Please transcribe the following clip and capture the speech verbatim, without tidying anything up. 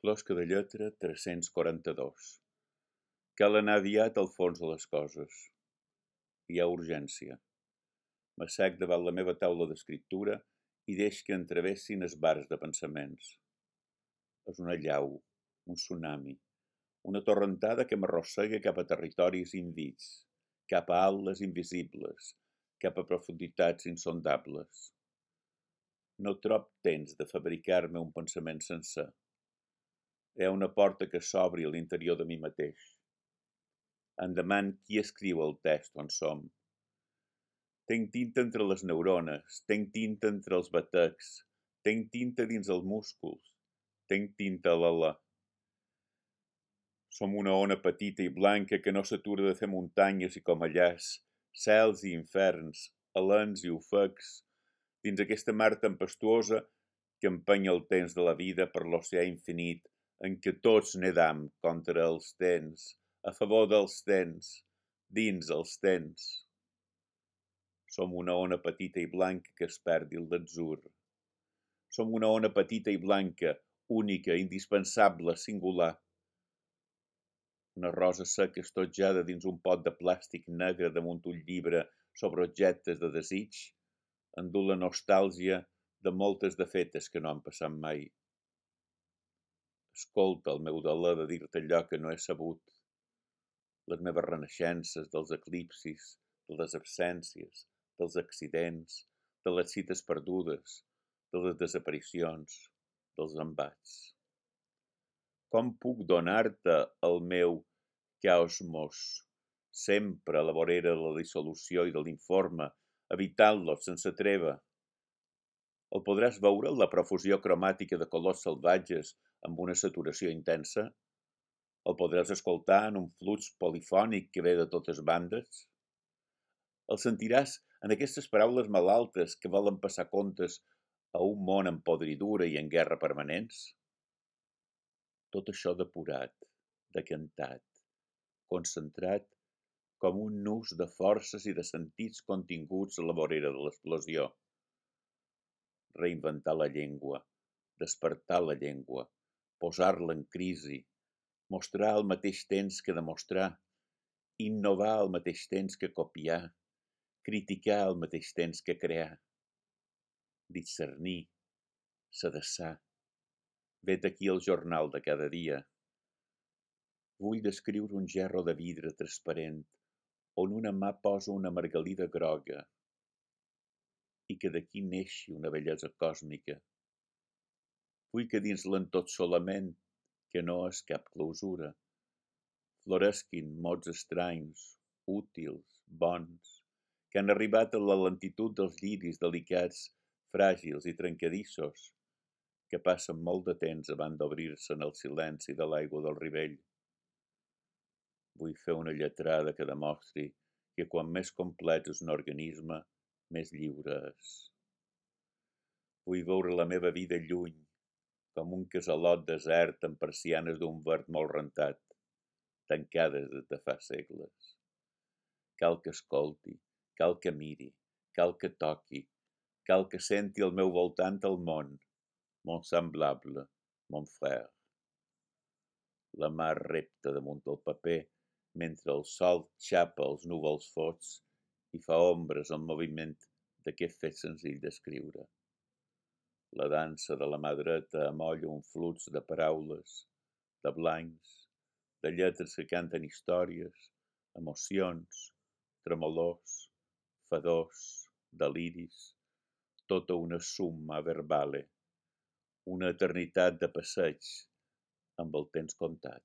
Closca de lletra tres-cents quaranta-dos. Cal anar aviat al fons de les coses. Hi ha urgència. M'assec davant la meva taula d'escriptura i deix que entravessin esbars de pensaments. És una llau, un tsunami, una torrentada que m'arrossega cap a territoris invits, cap a atles invisibles, cap a profunditats insondables. No trob temps de fabricar-me un pensament sencer. Hi ha una porta que s'obri a l'interior de mi mateix. Em deman qui escriu el text on som. Tenc tinta entre les neurones, tenc tinta entre els batecs, tenc tinta dins els músculs, tenc tinta a l'alè. Som una ona petita i blanca que no s'atura de fer muntanyes i comellars, cels i inferns, alens i ofecs, dins aquesta mar tempestuosa que empeny el temps de la vida per l'oceà infinit en què tots nedam contra els temps, a favor dels temps, dins els temps. Som una ona petita i blanca que es perdi el d'atzur. Som una ona petita i blanca, única, indispensable, singular. Una rosa seca estotjada dins un pot de plàstic negre damunt un llibre sobre objectes de desig, endú la nostàlgia de moltes de fetes que no han passat mai. Escolta el meu deler de dir-te allò que no he sabut, les meves renaixences dels eclipsis, de les absències, dels accidents, de les cites perdudes, de les desaparicions, dels embats. Com puc donar-te el meu caosmos, sempre a la vorera de la dissolució i de l'informe, evitant-lo sense treva? El podràs veure en la profusió cromàtica de colors salvatges amb una saturació intensa? El podràs escoltar en un flux polifònic que ve de totes bandes? El sentiràs en aquestes paraules malaltes que volen passar comptes a un món en podridura i en guerra permanents? Tot això depurat, decantat, concentrat com un nus de forces i de sentits continguts a la vorera de l'explosió. Reinventar la llengua, despertar la llengua, posar-la en crisi, mostrar al mateix temps que demostrar, innovar al mateix temps que copiar, criticar al mateix temps que crear, discernir, sedessar. Vet aquí el jornal de cada dia. Vull descriure un gerro de vidre transparent on una mà posa una margalida groga i que d'aquí neixi una bellesa còsmica. Vull que dins l'entotsolament, que no és cap clausura, floresquin mots estranys, útils, bons, que han arribat a la lentitud dels lliris delicats, fràgils i trencadissos, que passen molt de temps abans d'obrir-se en el silenci de l'aigua del Rivell. Vull fer una lletrada que demostri que quan més complet és un organisme, més lliure és. Vull veure la meva vida lluny, com un casalot desert amb persianes d'un verd molt rentat, tancades des de fa segles. Cal que escolti, cal que miri, cal que toqui, cal que senti al meu voltant el món, mon semblable, mon frère. La mar repta damunt el paper, mentre el sol xapa els núvols fots i fa ombres al moviment d'aquest fet senzill d'escriure. La dansa de la mà dreta amolla un flux de paraules, de blancs, de lletres que canten històries, emocions, tremolors, fadors, deliris, tota una summa verbale, una eternitat de passeig amb el temps comptat.